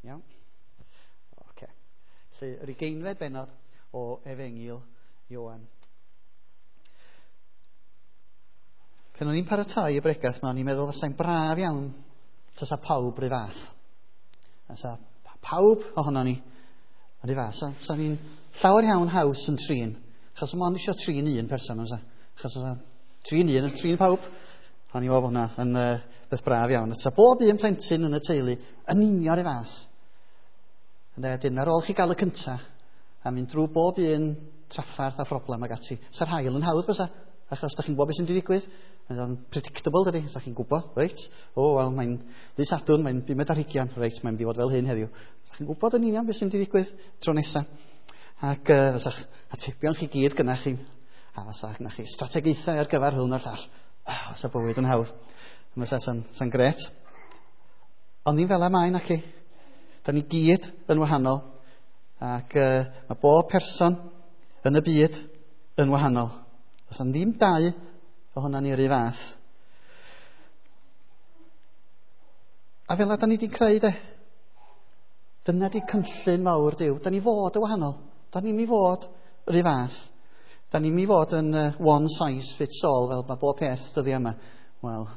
Iawn? Oce. Felly, yr ugeinfed bennod o Efengyl Ioan. Pan o'n i'n paratoi y bregath 'ma, o'n i'n meddwl fasai'n braf iawn tasa pawb rhy fath. Fysa pawb ohono ni rhy fath. Sa ni'n llawer iawn haws yn trin. Achos mond eisiau trin un person, fysa. Achos fysa trin un yn trin pawb. O'n i'n meddwl bod hwnna yn beth braf iawn. Fysa bob un plentyn yn y teulu yn union rhy fath. Ynde, dyn ar ôl chi gael y cynta, a mynd drwy bob un traffarth a phroblem ag ati, sa'r haul yn hawdd bysa, achos da chi'n gwybod beth sy'n mynd i ddigwydd. Mae'n o'n predictable, dydy, sa chi'n gwybod, reit? O, wel, mae'n ddydd Sadwrn, mae'n 25, reit, mae'n mynd i fod fel hyn heddiw. Sa chi'n gwybod yn union beth sy'n mynd i ddigwydd tro nesa. Ac fasa'ch atebion chi gyd gynnach chi, a fasa'ch gynnach chi strategaethau ar gyfer hwn a'r llall. Oh, fysa bywyd yn hawdd. Fysa sa'n gret. Ond ddim fel y mae, naci. Da ni gyd yn wahanol, ac mae bob person yn y byd yn wahanol. Does 'na ddim dau ohona ni yr un fath. A fel da ni wedi creu, de. Dyna di cynllun mawr Duw. Da ni fod yn wahanol. Da ni'n mi fod yr un fath. Da ni'n mi fod yn one size fits all, fel mae bob peth dyddiau yma. Wel,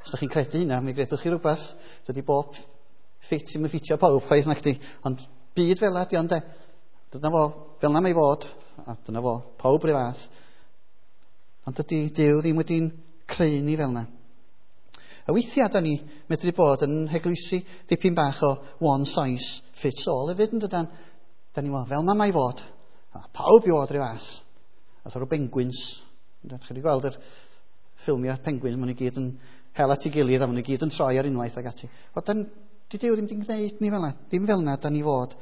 os da chi'n credu hynna, mi gredwch chi rhywbeth. Dydy bob ffit ddim yn ffitio pawb, chwaith nac di. Ond byd fel ydi ond de. Dyna fo, fel na mae fod. A dyna fo, pawb rhyw fath. Ond dydy Duw ddim wedi'n creu ni fel yna. A weithiau da ni medru bod yn heglwysi dipyn bach o one size fits all hefyd, yn dydan? Da ni'n meddwl, fel ma mae fod. A pawb i fod rhyw fath. A rhyw penguins. Chi wedi gweld yr ffilmiau penguins, maen nhw gyd yn hel at ei gilydd a maen nhw gyd yn troi ar unwaith ag ati. O, dan, di Duw ddim wedi gwneud ni fel yna. Dim fel yna da ni fod.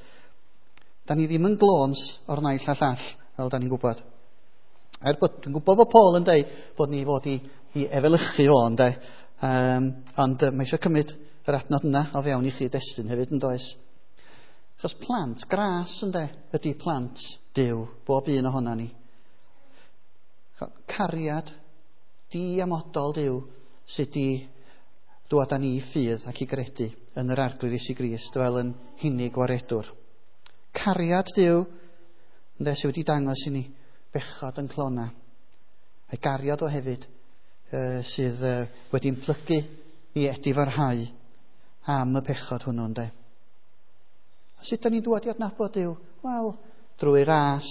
Da ni ddim yn glons o'r naill a llall, fel da ni'n gwybod. Er bod, dwi'n gwybod bod Paul yn deud bod ni fod i efelychu fo, ynde. Ond mae eisiau cymryd yr adnod yna o fewn i chi destun hefyd, yn does? Achos plant gras, ynde, ydy plant Duw, bob un ohona ni. Cariad diamodol Duw sydd di dŵad â ni i ffydd ac i gredu yn yr Arglwydd Iesu Grist fel yn hunig waredwr. Cariad Duw, ynde, sydd wedi dangos i ni bechod yn clona. A'i gariad o hefyd sydd wedi'n plygu i edifarhau am y pechod hwnnw, ynde. A sut da ni'n dŵad i adnabod Duw? Wel, drwy ras,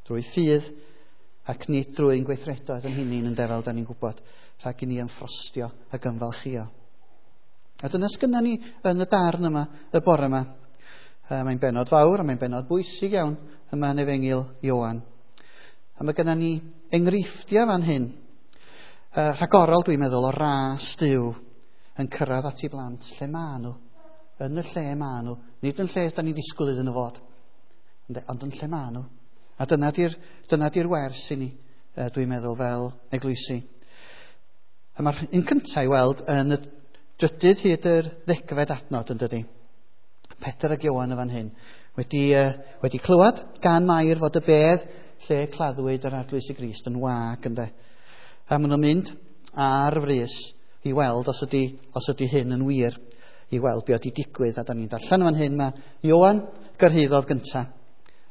drwy ffydd, ac nid drwy'n gweithredoedd yn hunain, ynde, fel da ni'n gwybod, rhag i ni ymffrostio ac ymfalchio. A dyna sgynna ni yn y darn yma, y bore yma. Mae'n bennod fawr, a mae'n bennod bwysig iawn yma yn Efengyl Ioan. A mae genna ni enghreifftiau fan hyn. Rhagorol, dwi'n meddwl, o ras Duw yn cyrraedd at ei blant lle maen nhw. Yn y lle maen nhw. Nid yn lle da ni'n disgwyl iddyn nhw fod, ond yn lle maen nhw. A dyna di'r wers i ni, dwi'n meddwl, fel eglwysi. A mae'r un cyntaf i weld yn y drydydd hyd yr ddegfed adnod, yn dydi. Pedr ac Ioan yn fan hyn wedi clywed gan Mair fod y bedd lle claddwyd yr Arglwydd Iesu Grist yn wag, ynde. A maen nhw'n mynd ar frys i weld os ydy hyn yn wir, i weld be oedd wedi digwydd. A da ni'n darllen fan hyn, mae Ioan gyrhaeddodd gynta.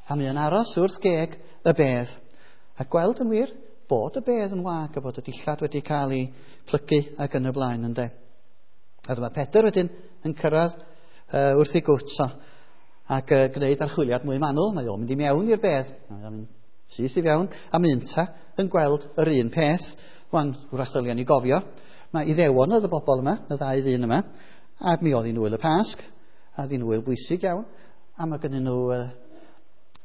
A mae o'n aros wrth geg y bedd. A gweld yn wir bod y bedd yn wag a bod y dillad wedi cael ei plygu ac yn y blaen, ynde. A dyma Pedr wedyn yn cyrraedd wrth ei gwt o, ac gwneud archwiliad mwy manwl. Mae o'n mynd i mewn i'r bedd. Mae o'n mynd syth i fewn, a mynta yn gweld yr un peth. Wan, wrach ddylia ni gofio, mae Iddewon oedd y bobl yma, y ddau ddyn yma, a mi oedd hi'n wyl y Pasg, a oedd hi'n wyl bwysig iawn, a mae gennyn nhw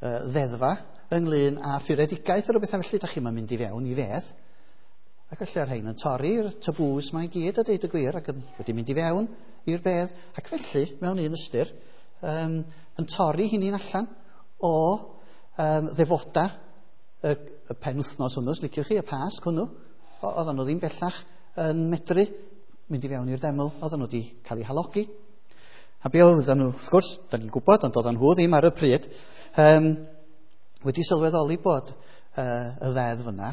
ddeddfa ynglyn â phuredigaeth a rhywbeth felly. Da chi'n mynd i fewn i fedd. Ac felly ar rhain yn torri'r tabŵs mae i gyd a deud y gwir, ac wedi mynd i fewn i'r bedd, ac felly, mewn un ystyr, yn torri hynny'n allan o ddefoda y penwythnos hwnnw, os liciwch chi, y Pasg hwnnw. Oedden nhw ddim bellach yn medru mynd i fewn i'r deml, oedden nhw wedi cael eu halogi. A be oedden nhw, wrth gwrs, da ni'n gwybod, ond oedden nhw ddim ar y pryd, wedi sylweddoli bod y ddeddf yna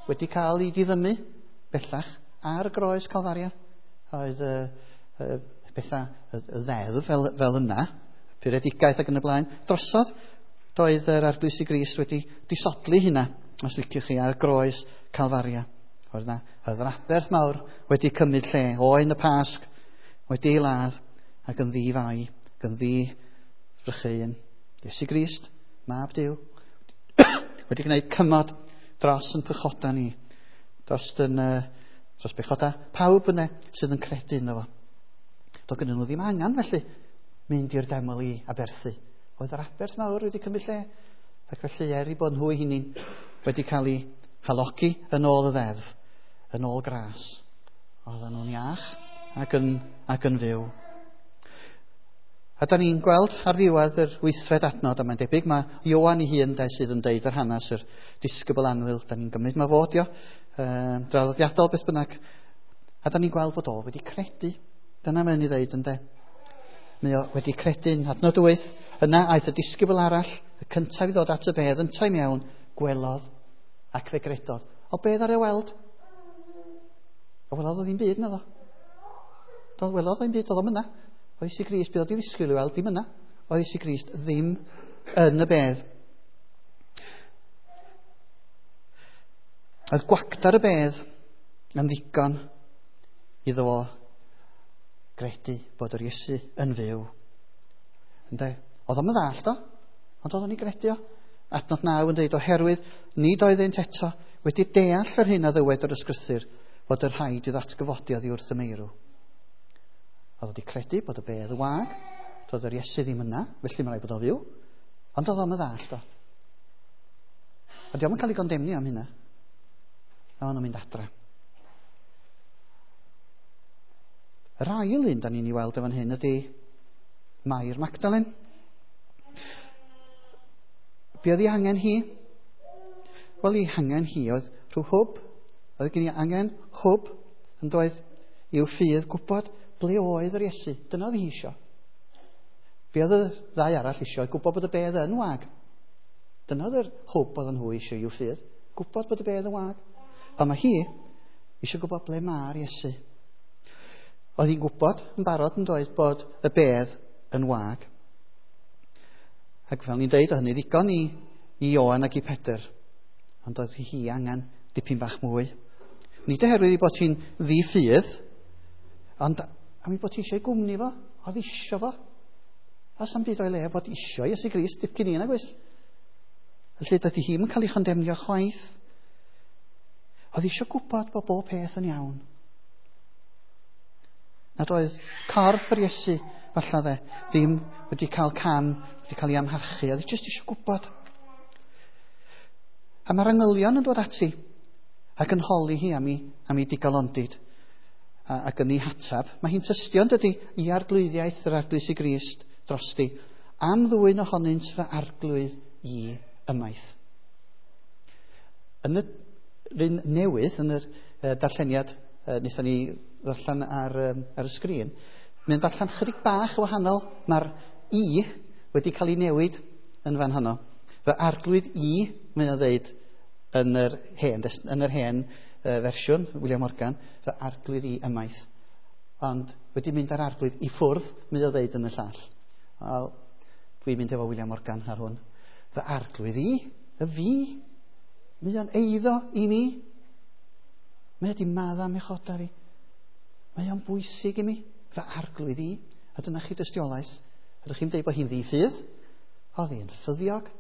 wedi cael ei diddymu bellach ar groes Calfaria. Oedd bethau, y ddeddf fel yna puredigaeth ac yn y blaen. Drosodd, doedd yr Arglwydd Iesu Grist wedi disodli hynna, os liciwch chi, ar groes Calfaria. Oedd yna yr aberth mawr wedi cymryd lle, oen y Pasg wedi ei ladd ac yn ddi-fai, ac yn ddi-frycheuyn. Iesu Grist, Mab Duw, wedi gwneud cymod dros yn pechoda ni, dros yn dros bechoda pawb yna sydd yn credu ynddo fo. Doedd gyda nhw ddim angen felly mynd i'r deml i aberthu. Oedd yr aberth mawr wedi cymryd lle, ac felly er i bod nhw eu hunain wedi cael eu halogi yn ôl y ddeddf, yn ôl gras, oedden nhw'n iach ac yn fyw. A da ni'n gweld ar ddiwedd yr 8fed adnod, a mae'n debyg mae Ioan ei hun de sydd yn deud yr hanes, yr disgybl annwyl, da ni'n gymryd mae fod io, draddodiadol beth bynnag, a da ni'n gweld bod o wedi credu. Dyna mae'n ei ddeud ynde. Mae o wedi credu'n adnod 8. Yna aeth y disgybl arall, y cyntaf i ddod at y bedd, yntau mewn, gwelodd ac fe gredodd. O bedd ar ei weld? O welodd o ddim byd naddo. Do, welodd o ddim byd, oedd o'm yna. Oedd Iesu Grist, beth oedd i ddisgwyl i weld, ddim yna. Oedd Iesu Grist ddim yn y bedd. Oedd gwacdar y bedd yn ddigon iddo fo gredu bod yr Iesu yn fyw. Ynde? Oedd o'm yn ddallt o, ond oedd o'n ei gredu o. Adnod 9 yn dweud, oherwydd nid oeddynt eto wedi deall yr hyn a ddywed yr ysgrythur fod yr rhaid i ddatgyfodi oddi wrth y meirw. Oedd wedi credu bod y bedd yn wag, doedd yr Iesu ddim yna, felly mae'n rhaid bod o fyw, ond oedd o'm yn ddallt o. Ond dio'm yn cael ei gondemnio am hynna. A maen nhw'n mynd adra. Yr ail un da ni'n ei weld yn fan hyn ydy Mair Magdalen. Be oedd ei angen hi? Wel, ei hangen hi oedd rhyw hwb. Oedd gen i angen hwb yn doedd i'w ffydd gwybod ble oedd yr Iesu. Dyna oedd hi isio. Be oedd y ddau arall isio? Gwybod bod y bedd yn wag. Dyna oedd yr hwb oedd nhw isio i'w ffydd. Gwybod bod y bedd yn wag. Ond mae hi eisiau gwybod ble mae'r Iesu. Oedd hi'n gwybod yn barod yn doedd bod y bedd yn wag. Ac fel ni'n deud, oedd hynny ddigon i Ioan ac i Pedr. Ond oedd hi angen dipyn bach mwy. Nid oherwydd ei bod hi'n ddi-ffydd, ond am ei bod hi eisiau gwmni fo, oedd isio fo. Oes am byd o'i le bod isio Iesu Grist dipyn i nag oes. Felly dydy hi'm yn cael ei chondemnio chwaith. Oedd eisiau gwybod bod bob peth yn iawn. Nad oedd corff yr Iesu, falle dde, ddim wedi cael cam, wedi cael ei amharchu. Oedd jyst eisiau gwybod. A mae'r angylion yn dod ati ac yn holi hi am ei digalondid ac yn ei hatab. Mae hi'n tystio yn dydy i arglwyddiaeth yr Arglwydd Iesu Grist drosti, am ddwyn ohonynt fy arglwydd i ymaith. Yn yr un newydd, yn yr darlleniad wnaethon ni ddarllen ar y sgrin, mae'n darllen chydig bach o wahanol. Mae'r i wedi cael ei newid yn fan honno. Fy arglwydd i, mae'n o ddeud yn yr hen fersiwn, William Morgan, fy arglwydd i ymaith. Ond wedi mynd ar arglwydd i ffwrdd, mae'n o ddeud yn y llall. Wel, dwi'n mynd efo William Morgan ar hwn. Fy arglwydd i, y fi, mae o'n eiddo i mi. Mae wedi madda mechoda fi. Mae o'n bwysig i mi, fy arglwydd i. A dyna chi dystiolaeth. Ydych chi'n dweud bod hi'n ddi-ffydd? Oedd hi'n ffyddiog,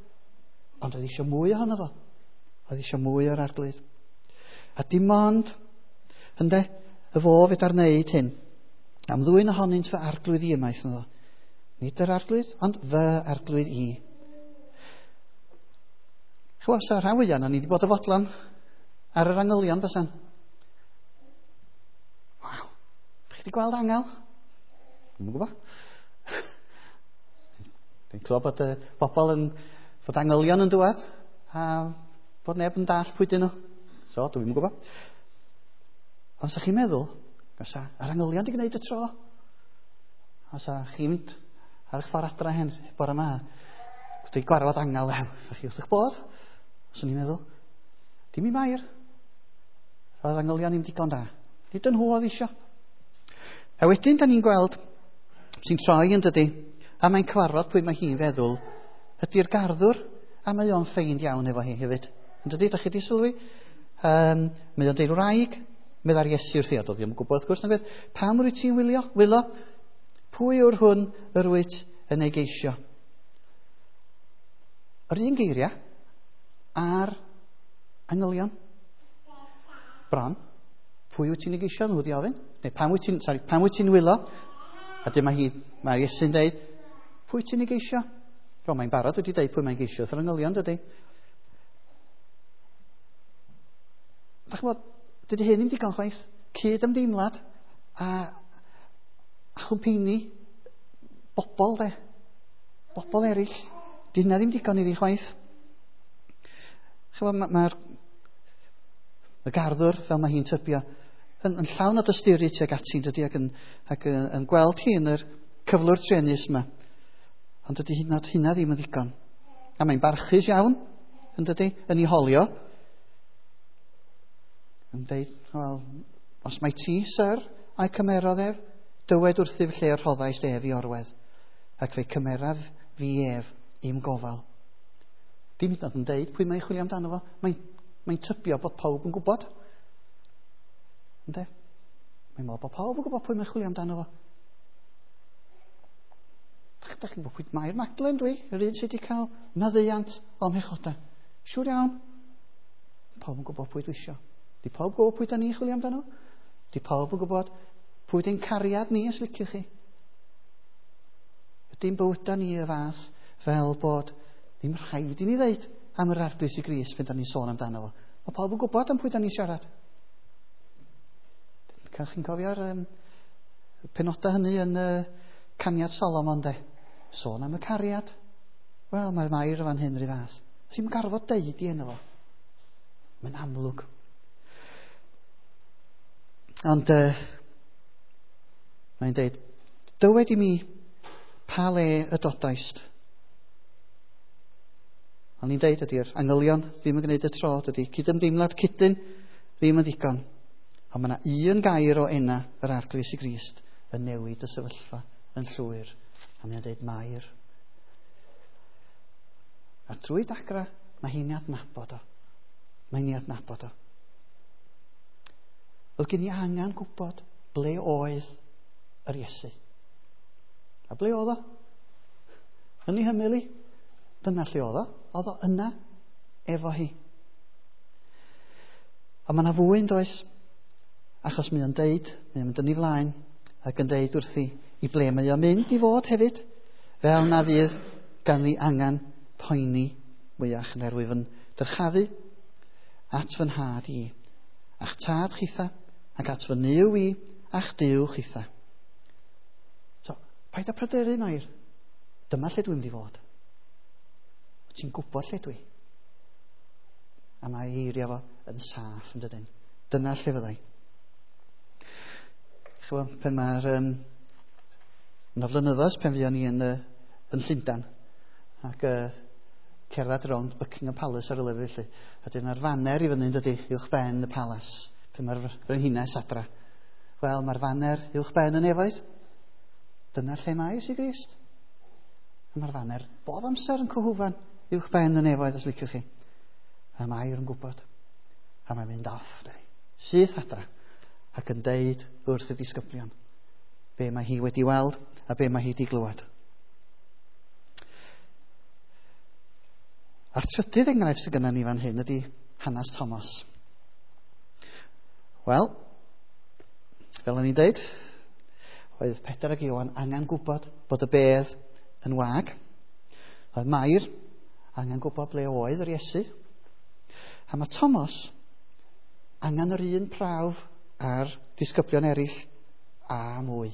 ond oedd eisiau mwy ohono fo. Oedd eisiau mwy o'r arglwydd. A dim ond, ynde, y fo fedar wneud hyn. Am ddwyn ohonynt fy arglwydd i ymaith ynddo. Nid yr arglwydd, ond fy arglwydd i. Chwa, sa rhan fwyaf na ni wedi bod y fodlon ar yr angylion bysan. Waw, chi wedi gweld angel? Dwi'm yn gwybod. Dwi'n clywed bod y bobl yn, bod angylion yn dŵad a bod neb yn dall pwy dyn nhw. So, dwi'm yn gwybod. Ond sa chi'n meddwl, sa yr angylion wedi gwneud y tro. A sa chi'n mynd ar eich ffordd adra hen bore yma, wedi gwarfod angel, sa chi wrth eich bodd. Swn i'n meddwl, dim i Mair. Roedd angylion ddim digon da. Nid yn nhw oedd isio. A wedyn, da ni'n gweld, sy'n troi yn dydy, A mae'n cyfarfod pwy mae hi'n feddwl ydy'r garddwr, a mae o'n ffeind iawn efo hi hefyd. Yn dydy, da chi wedi sylwi? Mae o'n deud wraig, meddai'r Iesu wrthi, a doedd ddim yn gwybod wrth gwrs, nag oedd, pam wyt ti'n wylio? Wylo? Pwy yw'r hwn yr wyt yn ei geisio? Yr un geiriau a'r angylion. Bron. Pwy wyt ti'n ei geisio? Nhw wedi ofyn. Neu pam wyt ti'n, sorry, pam wyt ti'n wylo? A dyma hi, mae Iesu'n deud, pwy ti'n ei geisio? Wel, mae'n barod wedi deud pwy mae'n geisio wrth yr angylion, dydy. Dach chi'n gwybod, dydy hyn ddim digon chwaith. Cyd ymdeimlad a chwmpeini bobl, de. Bobl eraill. Di hynna ddim digon iddi chwaith. Chymod, mae'r y garddwr, fel mae hi'n tybio, yn llawn o dosturi tuag ati, dydy, ac yn gweld hi yn yr cyflwr truenus yma. Ond dydy hynna ddim yn ddigon. A mae'n barchus iawn, yn dydy, yn ei holio. Yn deud, wel, os mae ti, syr, a'i cymerodd ef, dywed wrthyf lle rhoddaist ef i orwedd, ac fe cymeraf fi ef i'm gofal. Dim hyd yn oed yn deud pwy mae'n chwilio amdano fo. Mae'n tybio bod pawb yn gwybod. Ynde? Mae'n meddwl bod pawb yn gwybod pwy mae'n chwilio amdano fo. Dach chi'n gwybod pwy Mair Magdalen dwi, yr un sydd wedi cael maddeuant o'm mhechodau. Siŵr iawn. Pawb yn gwybod pwy dwi isio. Di pawb gwybod pwy da ni'n chwilio amdano? Di pawb yn gwybod pwy di'n cariad ni, os liciwch chi? Ydy'n bywydau ni y fath fel bod ddim rhaid i ni ddeud am yr Arglwydd Iesu Grist pan da ni'n sôn amdano fo. Mae pawb yn gwybod am pwy da ni'n siarad. Chi'n cofio'r penodau hynny yn Caniad Solomon, de? Sôn am y cariad. Wel, mae'r Mair fan hyn rhyw fath. Ddim gorfod deud i enw fo. Mae'n amlwg. Ond mae'n deud, dywed i mi pa le y dodaist. O'n i'n deud ydy'r angylion ddim yn gwneud y tro, dydy cydymdeimlad cydyn ddim yn ddigon. Ond mae yna un gair o enna yr Arglwydd Iesu Grist yn newid y sefyllfa yn llwyr. A mae'n deud Mair. A drwy dagra, mae hi'n ei adnabod o. Mae'n ei adnabod o. Oedd gen i angen gwybod ble oedd yr Iesu. A ble oedd o? Yn ei hymyl i. Dyna lle oedd o. Oedd o yna efo hi. A mae yna fwy yn does, achos mae o'n deud, mae o'n mynd yn ei flaen, ac yn deud wrthi i ble mae o'n mynd i fod hefyd, fel na fydd ganddi angen poeni mwyach yn erwyf yn dyrchafu at fy nhad i, a'ch tad chitha, ac at fy Nuw i, a'ch Duw chitha. So, paid â pryderu, Mair. Dyma lle dwi'n mynd i fod. Ti'n gwybod lle dwi. A mae eiriau fo yn saff yn dydyn. Dyna lle fyddai. Chymod, pan mae'r yna flynyddoedd pan fuon ni yn Llundain ac cerdded rownd Buckingham Palace ar y lefel felly. A dyna'r faner i fyny yn dydy, uwch ben y palas, pan mae'r frenhines adra. Wel, mae'r faner uwch ben y nefoedd. Dyna lle mae Iesu Grist. A mae'r faner bob amser yn cyhwfan uwch ben y nefoedd, os liciwch chi. A Mair yn gwybod. A mae'n mynd off, dydy. Syth adra. Ac yn deud wrth y disgyblion be mae hi wedi weld a be mae hi wedi glywed. A'r trydydd enghraifft sydd gennym ni fan hyn ydy hanes Thomas. Wel, fel o'n i'n deud, oedd Pedr ac Ioan angen gwybod bod y bedd yn wag. Oedd Mair angen gwybod ble oedd yr Iesu. A mae Thomas angen yr un prawf a'r disgyblion eraill a mwy.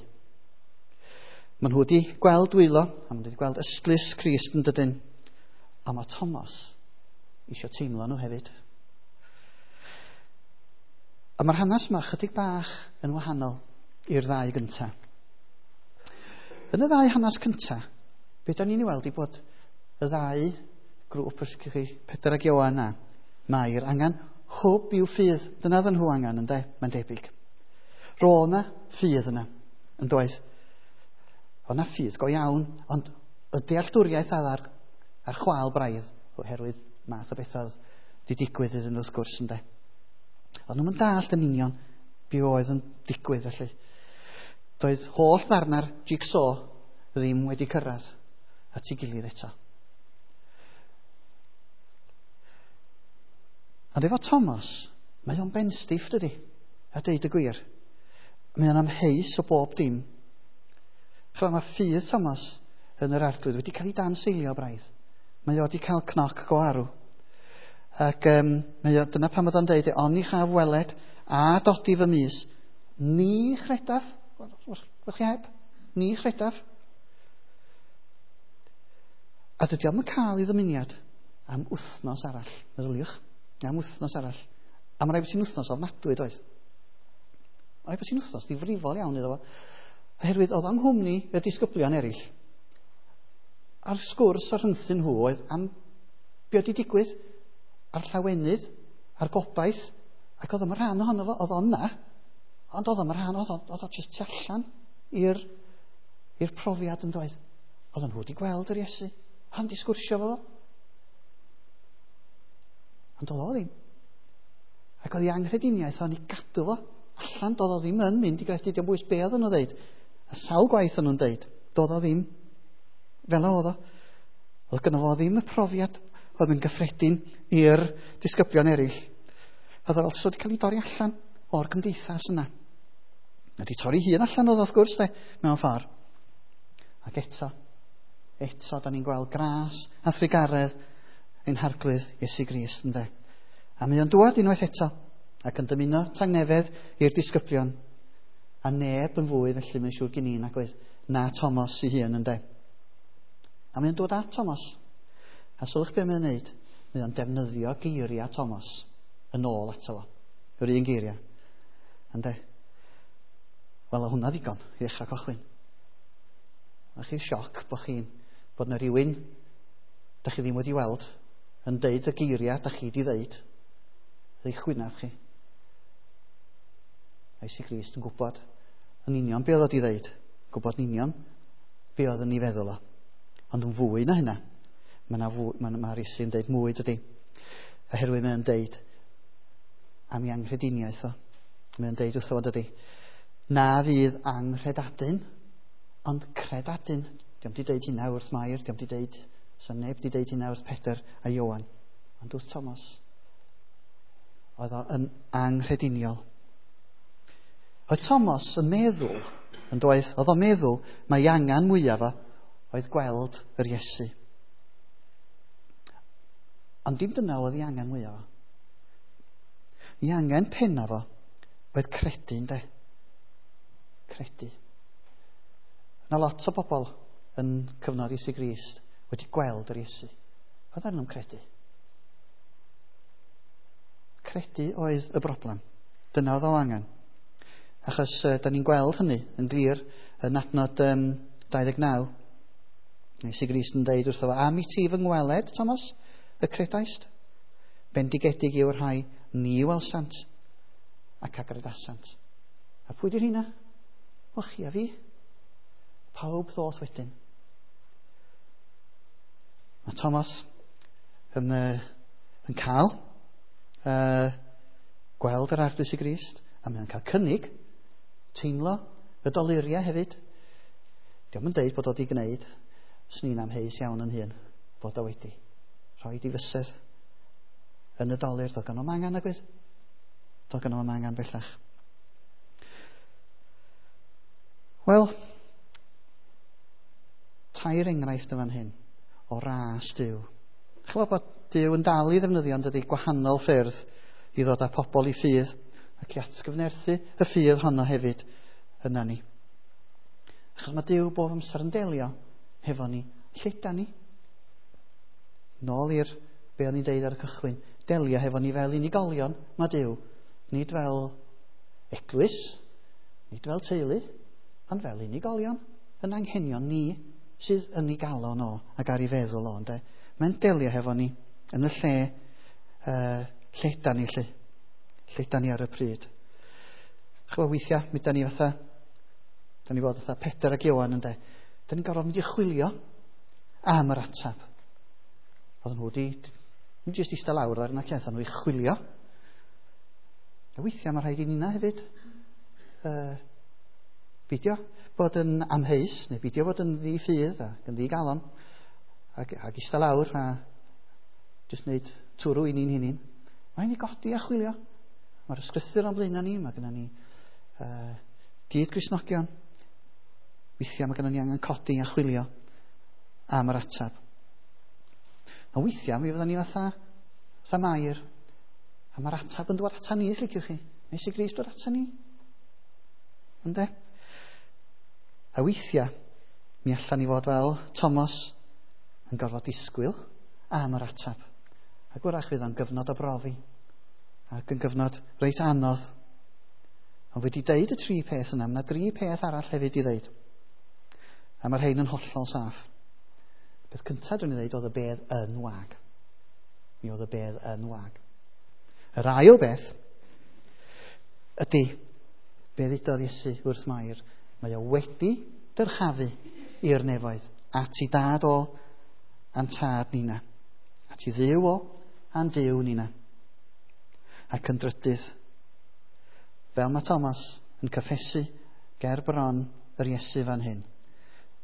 Maen nhw wedi gweld dwylo, a maen nhw wedi gweld ystlys Crist yn dydyn. A mae Thomas eisiau teimlo nhw hefyd. A mae'r hanes yma chydig bach yn wahanol i'r ddau gyntaf. Yn y ddau hanes cyntaf, be da ni'n ei weld i bod y ddau grŵp, os ydych chi, Pedr ac Ioan a Mair, angen hwb i'w ffydd. Dyna ddyn nhw angen, ynde? Mae'n debyg. Ro yna ffydd yna, yn doedd. Oedd na ffydd go iawn, ond y dealltwriaeth oedd ar chwâl braidd, oherwydd math o bethau di digwydd iddyn nhw wrth gwrs, ynde. Ond nhw'n dallt yn union be oedd yn digwydd felly. Doedd holl ddarna'r jigsaw ddim wedi cyrraedd at ei gilydd eto. Ond efo Thomas, mae o'n benstiff, dydy, a deud y gwir. Mae o'n amheus o bob dim. Chwa, mae ffydd Thomas yn yr Arglwydd wedi cael ei danseilio braidd. Mae o wedi cael cnoc go arw. Ac mae o, dyna pam oedd o'n deud, oni chaf weled a dodi fy mys, ni chredaf. Wel chi heb? Ni chredaf. A dydy o'm yn cael ei ddymuniad am wythnos arall. Meddyliwch, am wythnos arall. A mae rhaid bod ti'n wythnos ofnadwy, doedd? Mae rhaid bod ti'n wythnos ddifrifol iawn iddo fo. Oherwydd oedd o'n nghwmni y disgyblion eraill. A'r sgwrs o'r rhyngthyn nhw oedd am be oedd wedi digwydd, a'r llawenydd, a'r gobaith, ac oedd o'm rhan ohono fo, oedd o'n na, ond oedd o'm rhan, oedd o jyst tu allan i'r profiad yn doedd. Oedd nhw wedi gweld yr Iesu, ond di sgwrsio fo. Ond oedd o ddim. Ac oedd ei anghrediniaeth o'n i gadw fo allan, doedd o ddim yn mynd i gredu, dio'm bwys be oedd nhw'n dweud. A sawl gwaith o'n nhw'n dweud, doedd o ddim fel oedd o. Oedd gynno fo ddim y profiad oedd yn gyffredin i'r disgyblion eraill. Oedd o fel wedi cael ei dorri allan o'r gymdeithas yna. Wedi torri hun allan oedd wrth gwrs, de, mewn ffordd. Ac eto, da ni'n gweld gras a thrugaredd ein Harglwydd Iesu Grist, ynde. A mae o'n dŵad unwaith eto, ac yn dymuno tangnefedd i'r disgyblion. A neb yn fwy, felly mae'n siŵr gen i, nag oedd, na Thomas ei hun, ynde. A mae o'n dod at Thomas. A sylwch be mae'n wneud? Mae o'n defnyddio geiriau Thomas yn ôl ato fo. Yr un geiriau. Ynde? Wel, oedd hwnna ddigon i ddechrau cychwyn. Mae chi'n sioc bod chi'n bod na rhywun da chi ddim wedi weld yn deud y geiriau da chi wedi ddeud. Ei chwynaf chi. A Iesu Grist yn gwybod yn union be oedd o wedi ddeud. Gwybod yn union be oedd yn ei feddwl o. Ond yn fwy na hynna, mae Iesu'n deud mwy, dydy. Oherwydd mae'n deud am ei anghrediniaeth o. Mae'n deud wrtho fo, dydy, na fydd anghredadun, ond credadun. Dio'm di deud hynna wrth Mair, dio'm di deud, so neb di deud hynna wrth Pedr a Ioan. Ond wrth Thomas, oedd o yn anghrediniol. Oedd Thomas yn meddwl, yn doedd, oedd o'n meddwl mai angen mwyaf o oedd gweld yr Iesu. Ond dim dyna oedd ei angen mwyaf o. Ei angen pennaf o oedd credu, ynde? Credu. Yna lot o bobl yn cyfnod Iesu Grist wedi gweld yr Iesu. Oedd arnyn nhw'n credu. Credu oedd y broblem. Dyna oedd o angen. Achos da ni'n gweld hynny yn glir yn adnod 29. Iesu Grist yn deud wrtho fo, am i ti fy ngweled, Thomas, y credaist? Bendigedig yw'r rhai ni welsant ac a gredasant. A pwy di'r hynna? Wel, chi a fi. Pawb ddoth wedyn. Mae Thomas yn cael gweld yr Arglwydd Iesu Grist, a mae'n cael cynnig, teimlo y doluriau hefyd. Dio'm yn deud bod o wedi gwneud, swn i'n amheus iawn yn hun, bod o wedi rhoi di fysedd yn y dolur. Doedd gynno fo'm angen, nag oedd? Doedd gynno fo'm angen bellach. Wel, tair enghraifft yn fan hyn o ras Duw. Ch'mod bod Duw yn dal i ddefnyddio, yn dydi, gwahanol ffyrdd i ddod â pobl i ffydd ac i atgyfnerthu y ffydd honno hefyd yna ni. Achos mae Duw bob amser yn delio hefo ni, lle da ni. Nôl i'r be o'n i'n deud ar y cychwyn, delio hefo ni fel unigolion, mae Duw, nid fel eglwys, nid fel teulu, ond fel unigolion, yn anghenion ni sydd yn ei galon o ac ar ei feddwl o, ynde. Mae'n delio hefo ni yn y lle lle da ni, lle da ni ar y pryd. Ch'mo, weithiau, mi da ni fatha, da ni fod fatha Pedr ac Ioan, ynde. Da ni'n gorfod mynd i chwilio am yr ateb. Oedden nhw wedi, ddim jyst eistedd lawr ar yna ceth, nhw i chwilio. A weithiau mae rhaid i nina hefyd beidio bod yn amheus, neu beidio bod yn ddi-ffydd ac yn ddi-galon, ac eistedd lawr a jyst wneud twrw i ni'n hunain. Mae'n i godi a chwilio. Mae'r ysgrythur o'n blaenau ni, mae gennym ni gyd Gristnogion. Weithiau mae gennym ni angen codi a chwilio am yr ateb. A weithiau mi fyddwn ni fatha Mair, a mae'r ateb yn dod ata ni, os liciwch chi. Nes i Grist dod ata ni. Ynde? A weithiau, mi allan ni fod fel Thomas yn gorfod disgwyl am yr ateb. Ac wrach fydd o'n gyfnod o brofi, ac yn gyfnod reit anodd. Ond wedi deud y tri peth yna, mae yna dri peth arall hefyd i ddeud. A mae'r rhain yn hollol saff. Beth cyntaf dwi'n ei ddeud oedd y bedd yn wag. Mi oedd y bedd yn wag. Yr ail beth ydy, be ddudodd Iesu wrth Mair, mae o wedi dyrchafu i'r nefoedd, at i dad o a'n tad nina, at i Dduw o a'n Duw nina. Ac yn drydydd, fel mae Thomas yn cyffesu ger bron yr Iesu fan hyn,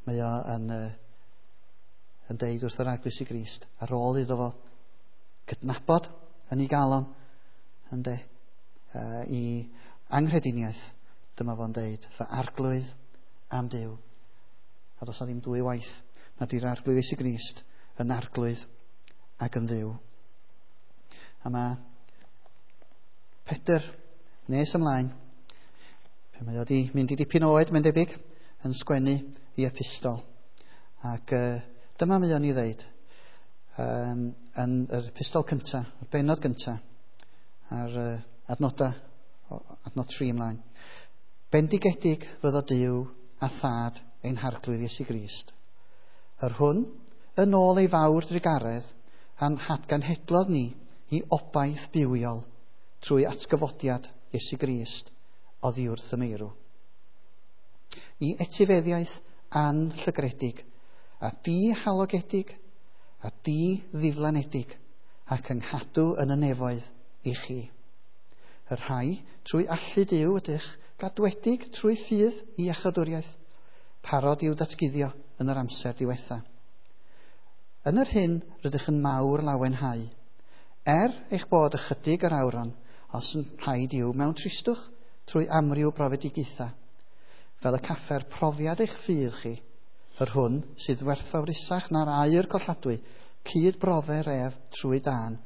mae o yn deud wrth yr Arglwydd Iesu Grist, ar ôl iddo fo gydnabod yn ei galon, ynde, i anghrediniaeth, dyma fo'n deud, fy arglwydd am Duw. A does na ddim dwy waith nad yw'r Arglwydd Iesu Grist yn arglwydd ac yn Dduw. A mae Pedr nes ymlaen, pe mae o wedi mynd i dipyn oed, mae'n debyg, yn sgwennu i epistol. Ac dyma mae o'n i ddeud, yn yr epistol cyntaf, yr bennod gyntaf, ar adnod 3 ymlaen. Bendigedig fyddo Duw a Thad ein Harglwydd Iesu Grist, yr hwn, yn ôl ei fawr drugaredd, a'n hatgenhedlodd ni i obaith bywiol trwy atgyfodiad Iesu Grist oddi wrth y meirw. I etifeddiaeth anllygredig, a dihalogedig, a di-ddiflanedig, ac ynghadw yn y nefoedd i chi. Y rhai trwy allu Duw ydych gadwedig trwy ffydd i iachawdwriaeth, parod i'w datguddio yn yr amser diwetha. Yn yr hyn rydych yn mawr lawenhau, eich bod ychydig yr awron, os yn rhaid i'w mewn tristwch trwy amryw brofedigaethau, fel y caffer profiad eich ffydd chi, yr hwn sydd werthfawrusach na'r aur colladwy, cyd brofer ef trwy dân,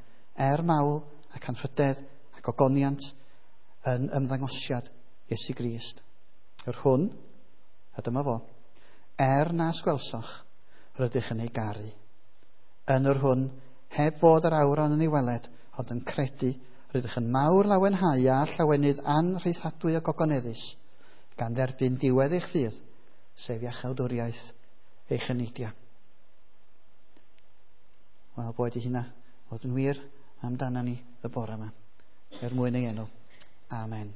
mawl ac anrhydedd ac ogoniant yn ymddangosiad Iesu Grist. Yr hwn, a dyma fo, nas gwelsoch, rydych yn ei garu. Yn yr hwn, heb fod yr awron yn ei weled, ond yn credu, rydych yn mawr lawenhau a llawenydd anrheithadwy o gogoneddus, gan dderbyn diwedd eich ffydd, sef iachawdwriaeth eich eneidiau. Wel, boed i hynna fod yn wir amdana ni y bore yma, er mwyn ei enw. Amen.